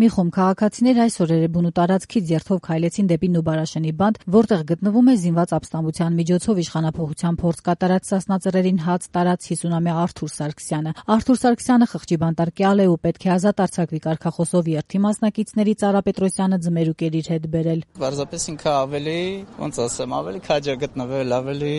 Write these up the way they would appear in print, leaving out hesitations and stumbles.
Մի խումբ քաղաքացիներ այս օրերը բունու տարածքից երթով քայլեցին դեպի Նուբարաշենի բանտ, որտեղ գտնվում է զինված ապստամբության միջոցով իշխանափոխության փորձ կատարած Սասնածռերին հաց տարած 50-ամյա Արթուր Սարգսյանը։ Արթուր Սարգսյանը խղճի բանտարկյալ է ու պետք է ազատ արձակվի կարգախոսով երթի մասնակիցների Ծառա Պետրոսյանը ձմերուկ էր իր հետ բերել։ Պարզապես ինքը ավելի, ոնց ասեմ, ավելի քաջ է գտնվել, ավելի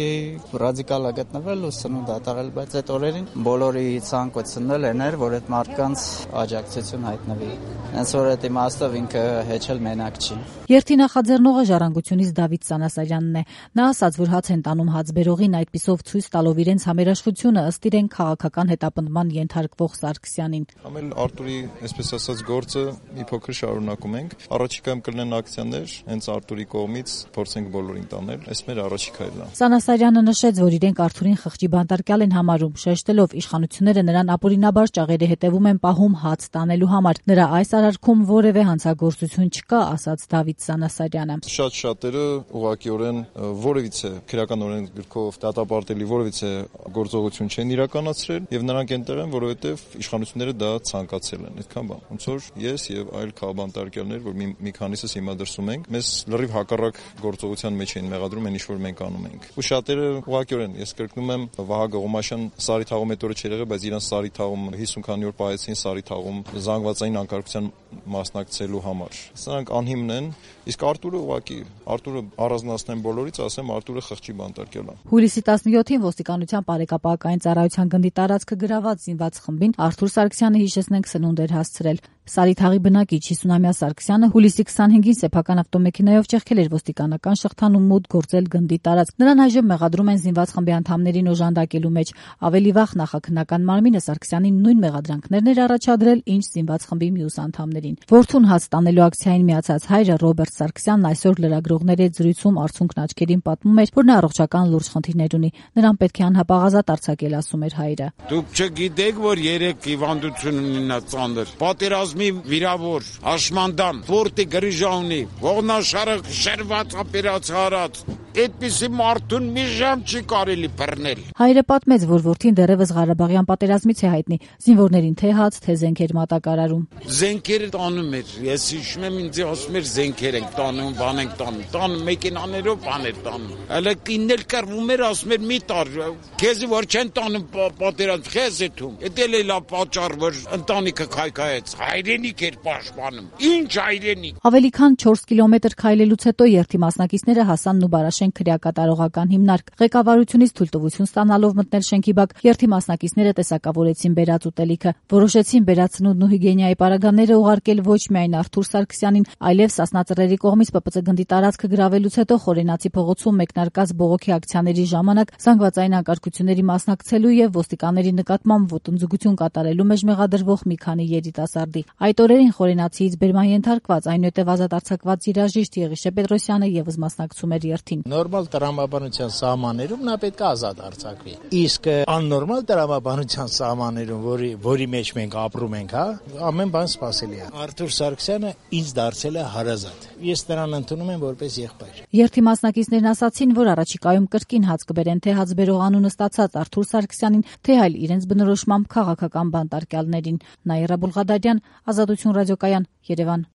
ռադիկալ է գտնվել ու սնունդ ատաղել, բայց այդ օրերին բոլորի ցանկությունն էր, որ այդ մարդկանց աջակցություն հայտնվի։ Հենց որ այդ իմաստով ինքը հեչել մենակ չի։ Երթի նախաձեռնողը Ժառանգությունից Դավիթ Սանասարյանն է։ Նա ասաց, որ հաց են տանում հացբերողին այդպիսով ցույց տալով իրենց համերաշխությունը ըստ իրեն քաղաքական հետապնդման ենթարկվող Սարգսյանին։ Ամեն Արտուրի, այսպես ասած, գործը մի փոքր շարունակում ենք։ Առաջիկայում կլինեն ակցիաներ, հենց Արտուրի կողմից փորձենք բոլորին տանել։ Այս մեր առաջիկ քայլն է։ Սանասարյանը նշեց, որ իրենք Արտուրին խղճի բանտարկյալ են համարում, շեշտելով իշխանությունները նրան ապօրինաբար ճաղերի հետևում են պահում հաց տանելու համար։ Նրա այս արարքում որևէ հանցագործություն չկա, ասաց Դավիթ Սանասարյանը։ Շատերը ուղղակիորեն որևիցե քրեական օրենսգրքով դատապարտելի որևիցե գործողություն չեն իրականացրել եւ նրանք այնտեղ են, որովհետեւ իշխանությունները դա ցանկացել են։ Այդքան բան։ Ոնց որ ես եւ այլ քաղաքաբանտարկյալներ, որ մի քանիսս հիմա դրսում ենք, մեզ լրիվ հակառակ գործողության մեջ են մեղադրում այն ինչ որ մենք անում ենք։ Ու շատերը ուղղակիորեն, ես կրկնում եմ, Վահագ Ղոմաշյան Սարի թաղում այդ օրը չէր եղել, բայց իրան Սարի թաղում 50 քանի օր պահեցին Սարի թաղում զանգվածային անկարգության մասնակցելու համար։ Սրանք անհիմն են, իսկ Արտուրը առանձնացնեն բոլորից, ասեմ Արտուրը խղճի բանտարկյալ է։ Հուլիսի 17-ին ոստիկանության բարեկապակային ծառայության գնդի տարածքը գրաված զինված խմբին Արթուր Սարգսյանը հիշեցնենք սնունդ էր հասցրել։ Սարի թաղի բնակիչ 50-ամյա Սարգսյանը հուլիսի 25-ին սեփական ավտոմեքենայով ճեղքել էր ոստիկանական շղթան ու մուտք գործել գնդի տարածք։ Նրան այժմ մեղադրում են զինված խմբի անդամներին օժանդակելու մեջ։ Ավելի վաղ նախաքննական մարմինը Սարգսյանին նույն մեղադրանքներն էր առաջադրել, ինչ զինված խմբի մյուս անդամներին։ Որդուն հաց տանելու ակցիային միացած հայրը Ռոբերտ Սարգսյանն այսօր լրագրողների հետ զրույցում արցունքն աչքերին պատմում էր, որ նա առողջական լուրջ խնդիրներ ունի։ Նրան պետք է անհապաղ ազատ արձակել, ասում էր հայրը։ Դուք չգիտեք, որ 3 հիվանդություն ունի նա ծանր։ Պատերազմի վիրավոր, հաշմանդամ, ֆորտի գրիժա ունի, ողնաշարը շերված ապերացարած։ Այդպիսի մարդուն մի ժամ չի կարելի բռնել։ Հայրը պատմեց, որ որդին դեռևս Ղարաբաղյան պատերազմից է հայտնի, զինվորներին թե հաց, թե զենքեր մատակարարում։ Զենքերը տանում էր, ես հիշում եմ ինձ ասում էր զենքեր ենք տանում, բան ենք տանում մեքենաներով բաներ տանում։ Հələ կիննել կռվում էր, ասում էր մի տար, քեզի որ չեն տանում պատերազմ, քեզ է թում։ Դա էլ է պատճառ, որ ընտանիքը քայքայեց, հայրենիք էր պաշտպանում։ Ինչ հայրենիք։ Ավելի քան 4 կիլոմետր քայլելուց հետո երթի մասնակիցները հասան Նուբարաշեն քրեակատարողական հիմնարկ։ Ղեկավարությունից թույլտվություն ստանալով մտնել շենքի բակ, երթի մասնակիցները տեսակավորեցին բերած ուտելիքը, որոշեցին բերած սնունդն ու հիգիենայի պարագաները ուղարկել ոչ միայն Արթուր Սարգսյանին, այլև Սասնածռերի կողմից ՊՊՑ գնդի տարածքը գրավելուց հետո Խորենացի փողոցում մեկնարկած բողոքի ակցիաների ժամանակ զանգվածային անկարգությունների մասնակցելու եւ ոստիկանների նկատմամբ ոտնձգություն կատարելու մեջ մեղադրվող մի քանի երիտասարդի։ Այդ օրերին Խորենացիից բերման ենթարկված այնուհետև ազատ արձակված երաժիշտ Եղիշե Պետրոսյանը եւս մասնակցում էր երթին։ Նորմալ տրամաբանության սահմաններում նա պետք է ազատ արձակվի։ Իսկ աննորմալ տրամաբանության սահմաններում, որի մեջ մենք ապրում ենք, ամեն բան սպասելի է։ Արթուր Սարգսյանը ինձ դարձել է հարազատ։ Ես նրան ընդունում եմ որպես եղբայր։ Երթի մասնակիցներն ասացին, որ առաջիկայում կրկին հաց կբերեն թե հացբերող անունը ստացած Արթուր Սարգսյանին, թե այլ իրենց բնորոշմամբ քաղաքական բանտարկյալներին։ Նաիրա Բուլղադարյան, Ազատություն ռադիոկայան, Երևան։